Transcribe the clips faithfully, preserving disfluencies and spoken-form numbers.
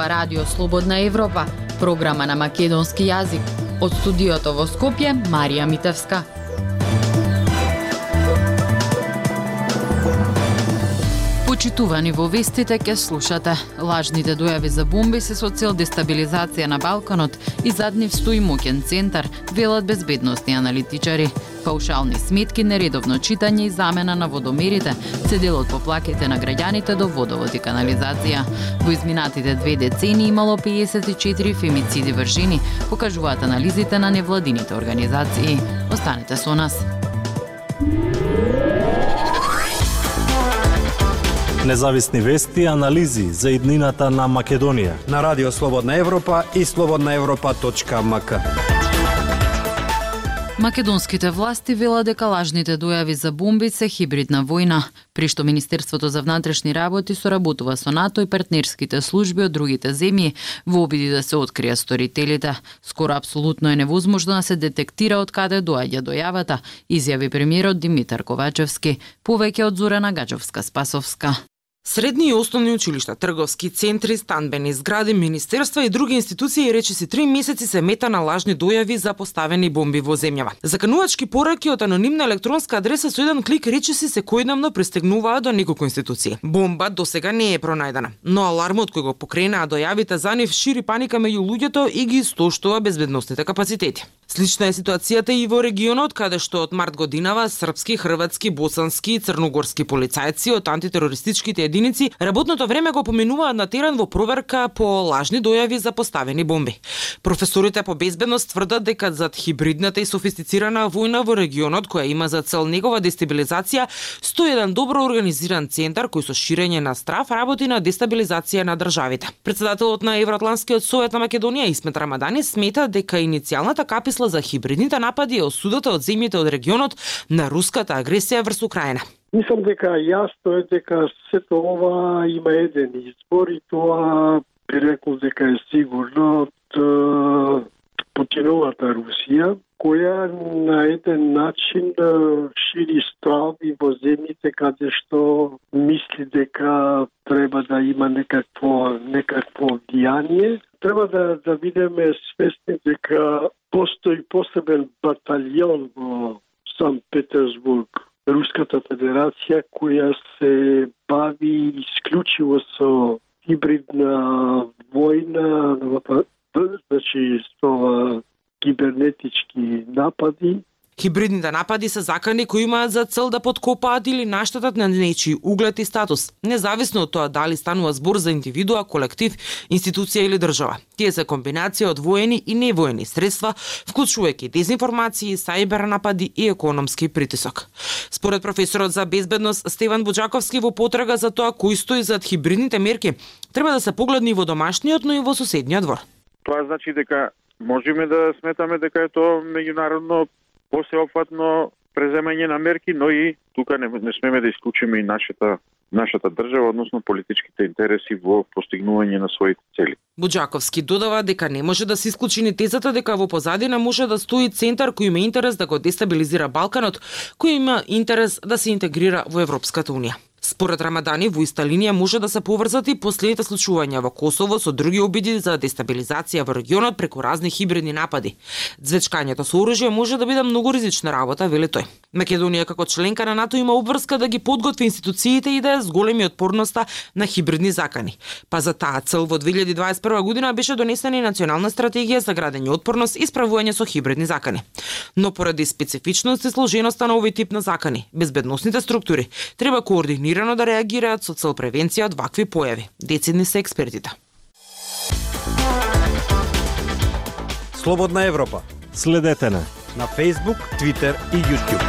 Ова радио Слободна Европа, програма на македонски јазик. Од студиото во Скопје, Марија Митевска. Почитувани во вестите ке слушате. Лажните дојави за бомби се со цел дестабилизација на Балканот и зад нив стои моќен центар, велат безбедносни аналитичари. Паушални сметки, нередовно читање и замена на водомерите се дел од поплаките на граѓаните до водовод и канализација. Во изминатите две децении имало педесет и четири фемициди вршени, покажуваат анализите на невладините организации. Останете со нас. Независни вести и анализи за иднината на Македонија на Радио Слободна Европа и слободна европа точка ем ка. Македонските власти велат дека лажните дојави за бомби се хибридна војна, при што Министерството за внатрешни работи соработува со НАТО и партнерските служби од другите земји во обиди да се откријат сторителите. Скоро апсолутно е невозможно да се детектира од каде доаѓа дојавата, изјави премиерот Димитар Ковачевски, повеќе од Зорана Гаџовска-Спасовска. Средни и основни училишта, трговски центри, станбени згради, министерства и други институции речиси три месеци се мета на лажни дојави за поставени бомби во земјава. Заканувачки пораки од анонимна електронска адреса со еден клик речиси секојдневно пристигнуваат до неколку институции. Бомба досега не е пронајдена, но алармот кој го покренаа дојавите за нив шири паника меѓу луѓето и ги истоштува безбедносните капацитети. Слична е ситуацијата и во регионот, каде што од март годинава српски, хрватски, босански и црногорски полицајци од антитерористичките единици работното време го поминуваат на терен во проверка по лажни дојави за поставени бомби. Професорите по безбедност тврдат дека зад хибридната и софистицирана војна во регионот, која има за цел негова дестабилизација, стои еден добро организиран центар кој со ширење на страв работи на дестабилизација на државите. Председателот на Евроатлантскиот совет на Македонија Исмет Рамадани смета дека иницијалната каписла за хибридните напади е осудата од земјите од регионот на руската агресија врз Украина. Мислам дека јасно е дека сето ова има еден избор и тоа би рекол дека е сигурно од Путиновата Русија, која на еден начин шири страви во земјите каде што мисли дека треба да има некакво некакво влијание. Треба да да бидеме свесни дека постои посебен баталјон во Санкт Петерсбург, Руската Федерација, која се бави исклучиво со хибридна војна, значи со кибернетички напади. Хибридните напади се закани кои имаат за цел да подкопаат или наштетат на нечи углед и статус, независно од тоа дали станува збор за индивидуа, колектив, институција или држава. Тие се комбинација од воени и невоени средства, вклучувајќи дезинформации, сајбер напади и економски притисок. Според професорот за безбедност Стеван Буџаковски, во потрага за тоа кој стои зад хибридните мерки, треба да се погледне и во домашниот, но и во соседниот двор. Тоа значи дека можеме да сметаме дека е тоа меѓународно посеопфатно преземање на мерки, но и тука не, не смеме да исклучиме и нашата нашата држава, односно политичките интереси во постигнување на своите цели. Буџаковски додава дека не може да се исклучи ни тезата дека во позадина може да стои центар кој има интерес да го дестабилизира Балканот, кој има интерес да се интегрира во Европската унија. Според Рамадани, во иста линија може да се поврзат и последните случувања во Косово со други обиди за дестабилизација во регионот преку разни хибридни напади. Звечкањето со оружје може да биде многу ризична работа, вели тој. Македонија како членка на НАТО има обврска да ги подготви институциите и да е зголеми отпорноста на хибридни закани. Па за таа цел во две илјади дваесет и прва година беше донесена и национална стратегија за градење отпорност и справување со хибридни закани. Но поради специфичност и сложеноста на овој тип на закани, безбедносните структури треба координирано да реагираат со цел превенција од вакви појави. Децидни се експертите. Слободна Европа. Следете на на Facebook, Twitter и YouTube.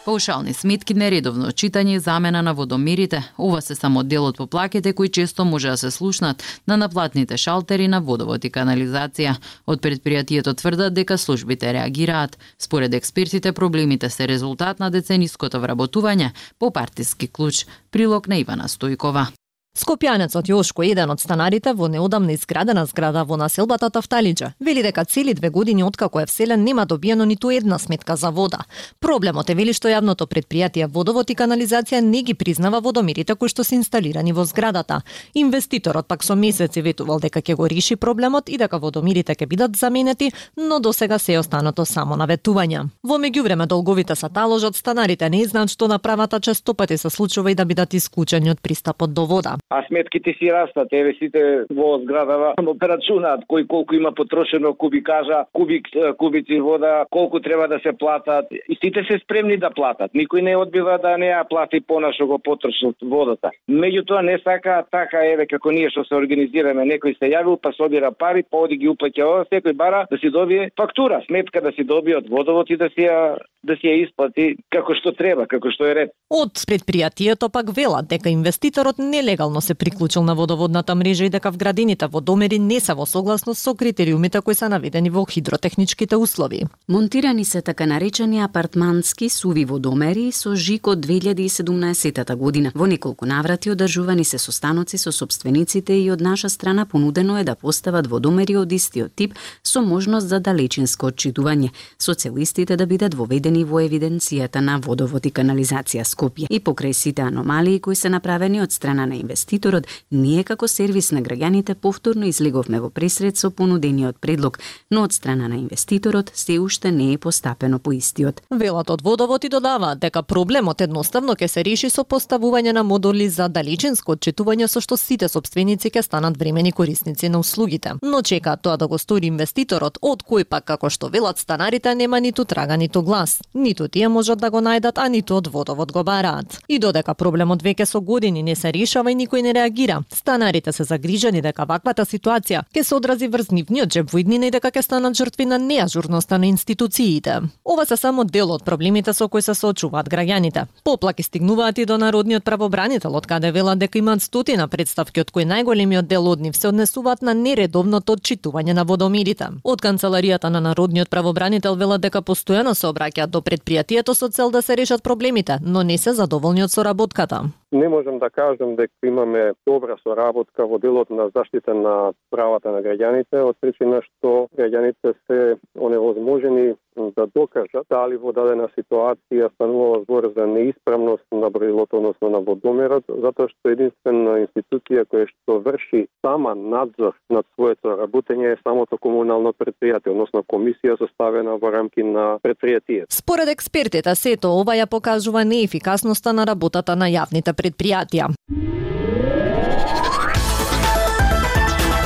Паушални сметки, нередовно читање и замена на водомерите. Ова се само дел од поплаките кои често може да се слушнат на наплатните шалтери на водовод и канализација. Од предпријатието тврдат дека службите реагираат. Според експертите, проблемите се резултат на децениското вработување по партиски клуч. Прилог на Ивана Стојкова. Скопјанецот Јошко, еден од станарите во неодамна изградена зграда во населбата Тафталиџа, вели дека цели две години откако е вселен нема добиено ниту една сметка за вода. Проблемот е, вели, што јавното претпријатие Водовод и канализација не ги признава водомерите кои што се инсталирани во зградата. Инвеститорот пак со месеци ветувал дека ќе го реши проблемот и дека водомерите ќе бидат заменети, но досега се е останато само на ветувања. Во меѓувреме долговите се таложат, станарите не знаат што да прават, а често пати се случува и да бидат исклучени од пристапот до вода. А сметките си растат, еве сите во зградава операчунаат кој колку има потрошено кубикажа, кубик кубици вода, колку треба да се платат, и сите се спремни да платат. Никој не одбива да не ја плати понашо го потрошот водата. Меѓутоа не сака така, еве како ние што се организираме, некој се јавил па собира пари, па оди ги уплаќа ова, секој бара да си добие фактура, сметка да си добие од Водовод и да си ја да си ја исплати како што треба, како што е ред. Од предпријатието пак велат дека инвеститорот нелегално се приклучил на водоводната мрежа и дека вградените водомери не се во согласност со критериумите кои се наведени во хидротехничките услови. Монтирани се така наречени апартмански суви водомери со жик од две илјади и седумнаесетта година. Во неколку наврати одржувани се состаноци со сопствениците и од наша страна понудено е да постават водомери од истиот тип со можност за далечинско отчитување, со цел истите да бидат воведени во евиденцијата на Водовод и канализација Скопје. И покрај сите аномалии кои се направени од страна на инвеститорот, ние како сервис на граѓаните повторно излеговме во пресред со понудениот предлог, но од страна на инвеститорот се уште не е постапено по истиот. Велат од Водовод и додаваат дека проблемот едноставно ќе се реши со поставување на модули за далечинско отчитување со што сите сопственици ќе станат времени корисници на услугите. Но чекаат тоа да го стори инвеститорот, од кој пак, како што велат станарите, нема ниту трага ниту глас. Ниту тие можат да го најдат, а ниту од Водовод го бараат. И додека проблемот веќе со години не се решава и никој не реагира, станарите се загрижени дека ваквата ситуација ќе се одрази врз нивниот џеб во иднина и дека ќе станат жртви на неажурноста на институциите. Ова се само дел од проблемите со кои се соочуваат граѓаните. Поплаки стигнуваат и до народниот правобранител, од каде велат дека имаат стотина претставки, од кои најголемиот дел од нив се однесуваат на нередовното отчитување на водомерите. Од канцеларијата на народниот правобранител велат дека постојано се обраќаат до предпријатието со цел да се решат проблемите, но не се задоволни од соработката. Не можам да кажам дека имаме добра соработка во делот на заштита на правата на граѓаните, од причина што граѓаните се оневозможени да докажат дали во дадена ситуација станува збор за неисправност на броилот, односно на водомерот, затоа што единствена институција која што врши сама надзор над своето работење е самото комунално претпријатие, односно комисија составена во рамки на претпријатието. Според експертите, сето ова ја покажува неефикасноста на работата на јавните предпријатија.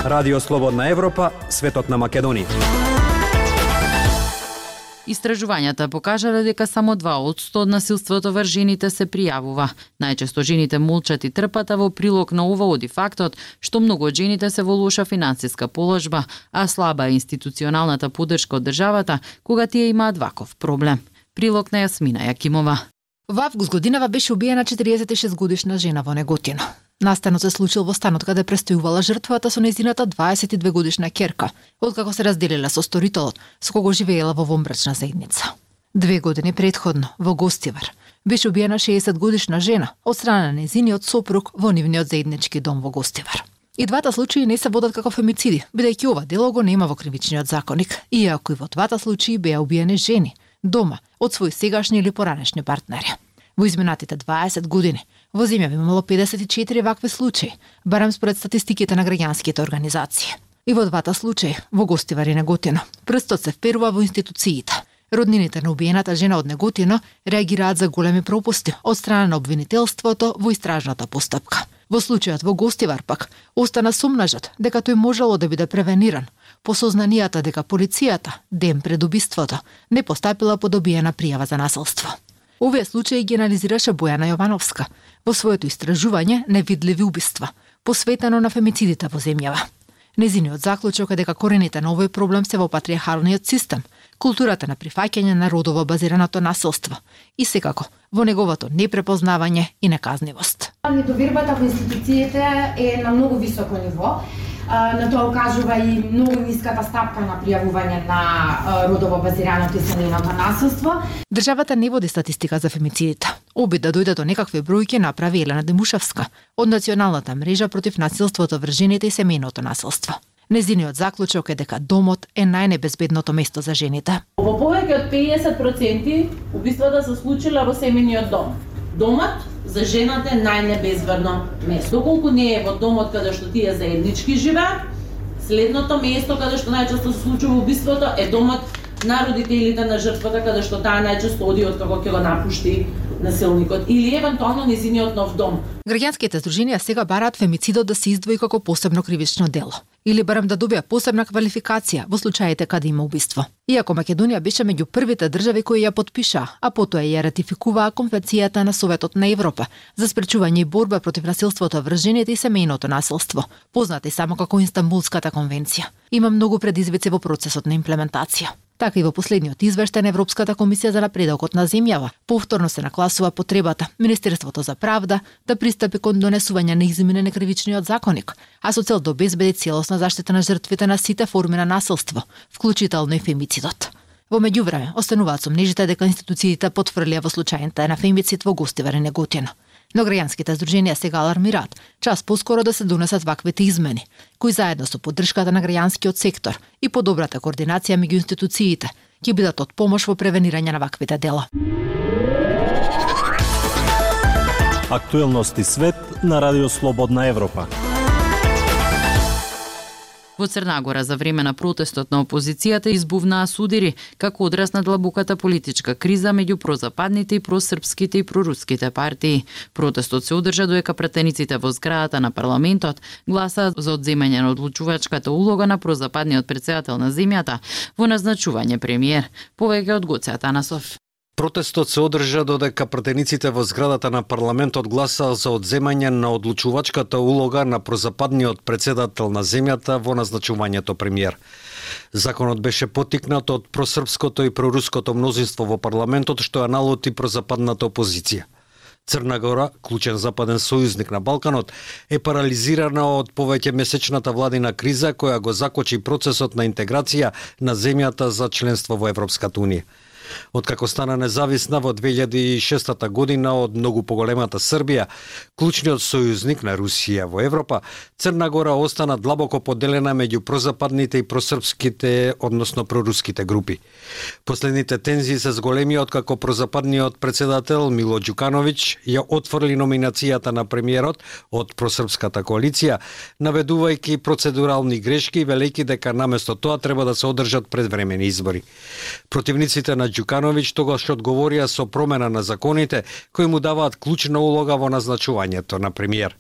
Радио Слободна Европа, светот на Македонија. Истражувањата покажале дека само два одсто од насилството врз жените се пријавува. Најчесто жените молчат и трпат, а во прилог на ова оди фактот што многу од жените се во лоша финансиска положба, а слаба е институционалната поддршка од државата кога тие имаат ваков проблем. Прилог на Јасмина Јакимова. Во август годинава беше убиена четириесет и шест годишна жена во Неготино. Настанот се случил во станот каде престојувала жртвата со нејзината дваесет и две годишна ќерка, откако се разделила со сторителот, со кого живеела во вонбрачна заедница. Две години предходно, во Гостивар, беше убиена шеесет годишна жена од страна на нејзиниот сопруг во нивниот заеднички дом во Гостивар. И двата случаи не се водат како фемициди, бидејќи ова дело го нема во кривичниот законник, иако и во двата случаи беа убиени жени, дома, од своји сегашни или поранешни партнери. Во изминатите дваесет години во земјава имало педесет и четири вакви случаи, барем според статистиките на граѓанските организации. И во двата случаи, во Гостивар и Неготино, прстот се вперува во институциите. Роднините на убиената жена од Неготино реагираат за големи пропусти од страна на обвинителството во истражната постапка. Во случајот во Гостивар пак остана сомнажот дека тој можело да биде превениран по сознанијата дека полицијата ден пред убиството не постапила по добиена пријава за насилство. Овие случаи ги анализираше Бојана Јовановска во своето истражување Невидливи убиства, посветено на фемицидите во земјава. Незиниот заклучок е дека корените на овој проблем се во патриархалниот систем, културата на прифаќање на родово базираното насилство и секако во неговото непрепознавање и неказнивост. Недовербата во институциите е на многу високо ниво. На тоа укажува и многу ниската стапка на пријавување на родово базираното и семејното насилство. Државата не води статистика за фемицидите. Обид да дојде до некакви бројки направи Елена Демушевска од Националната мрежа против насилството врз жените и семејното насилство. Незиниот заклучок е дека домот е најнебезбедното место за жените. Во повеќе од педесет проценти убиствата се случила во семејниот дом. Домот за жената е најнебезбедно место. Доколку не е во домот каде што тие заеднички живеат, следното место каде што најчесто се случува убиството е домот на родителите на жртвата, каде што таа најчесто оди од како ќе го напушти насилникот или евентуално незиниот нов дом. Граѓанските здруженија сега бараат фемицидот да се издвои како посебно кривично дело или барем да добија посебна квалификација во случаите каде има убиство. Иако Македонија беше меѓу првите држави кои ја подпиша, а потоа ја ратификуваа Конвенцијата на Советот на Европа за спречување и борба против насилството врз жените и семејното насилство, позната и само како Инстанбулската конвенција. Има многу предизвици во процесот на имплементација. Така и во последниот извештај на Европската комисија за напредокот на земјава, повторно се нагласува потребата Министерството за правда да пристапи кон донесување на измени на кривичниот законник, а со цел да обезбеди целосна заштита на жртвите на сите форми на насилство, вклучително и фемицидот. Во меѓувреме, остануваат сомнежите дека институциите потврлија во случајите на фемицид во Гостивар и Неготино. Но граѓанските здруженија сега алармираат час поскоро да се донесат ваквите измени, кои заедно со поддршката на граѓанскиот сектор и подобрата координација меѓу институциите ќе бидат од помош во превенирање на ваквите дела. Актуелности свет на Радио Слободна Европа. Во Црна Гора за време на протестот на опозицијата избувнаа судири како одраз на длабоката политичка криза меѓу прозападните и просрпските и проруските партии. Протестот се одржа додека пратениците во зградата на парламентот гласаат за одземање на одлучувачката улога на прозападниот претседател на земјата во назначување премиер. Повеќе од Гоце Атанасов. Протестот се одржа додека пратениците во зградата на парламентот гласаа за одземање на одлучувачката улога на прозападниот претседател на земјата во назначувањето премиер. Законот беше поттикнат од просрпското и проруското мнозинство во парламентот што ја налоти прозападната опозиција. Црна Гора, клучен западен сојузник на Балканот, е парализирана од повеќе месечната владина криза која го закочи процесот на интеграција на земјата за членство во Европската унија. Откако стана независна во две илјади и шеста година од многу поголемата Србија, клучниот сојузник на Русија во Европа, Црна Гора остана длабоко поделена меѓу прозападните и просрпските, односно проруските групи. Последните тензии се зголеми откако прозападниот претседател Мило Ѓукановиќ ја отфрли номинацијата на премиерот од просрпската коалиција, наведувајќи процедурални грешки и велејќи дека наместо тоа треба да се одржат предвремени избори. Противниците на Ѓукановиќ тогаш одговорија со промена на законите кои му даваат клучна улога во назначувањето на премиер.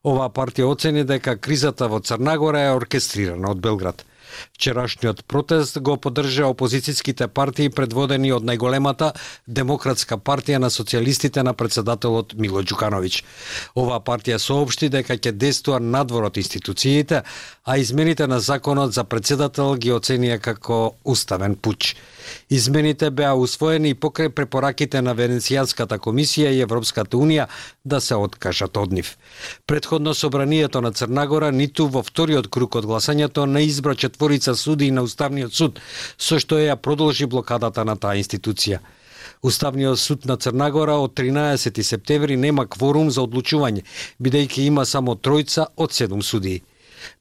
Оваа партија оцени дека кризата во Црна Гора е оркестрирана од Белград. Вчерашниот протест го поддржа опозицијските партии предводени од најголемата Демократска партија на социјалистите на претседателот Мило Ѓукановиќ. Оваа партија соопшти дека ќе действува надвор од институциите, а измените на законот за претседател ги оценија како уставен пуч. Измените беа усвоени и покрај препораките на Венецијанската комисија и Европската унија да се откажат од нив. Претходно собранието на Црна Гора ниту во вториот круг од гласањето не избра четворица судии на Уставниот суд, со што ја продолжи блокадата на таа институција. Уставниот суд на Црна Гора од тринаесети септември нема кворум за одлучување, бидејќи има само тројца од седум судии.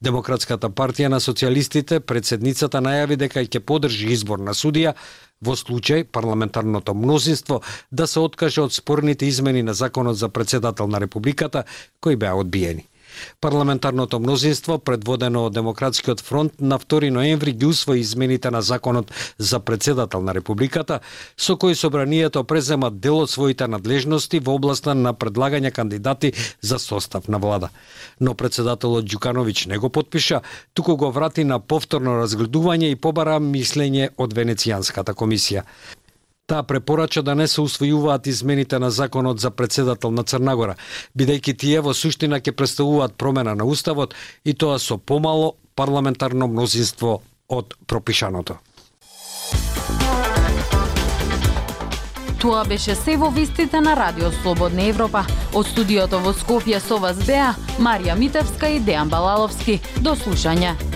Демократската партија на социјалистите, председницата најави дека ќе поддржи избор на судија во случај парламентарното мнозинство да се откаже од спорните измени на законот за претседател на републиката кои беа одбиени. Парламентарното мнозинство, предводено од Демократскиот фронт, на втори ноември ги усвои измените на законот за претседател на републиката, со кои собранието презема дел од своите надлежности во областа на предлагање кандидати за состав на влада. Но претседателот Ѓукановиќ не го потпиша, туку го врати на повторно разгледување и побара мислење од Венецијанската комисија. Таа препорача да не се усвојуваат измените на законот за претседател на Црна Гора, бидејќи тие во суштина ќе представуваат промена на уставот и тоа со помало парламентарно мнозинство од пропишаното. Тоа беше се во вестите на Радио Слободна Европа. Од студиото во Скопје со вас беа Марија Митевска и Дејан Балаловски. До слушање.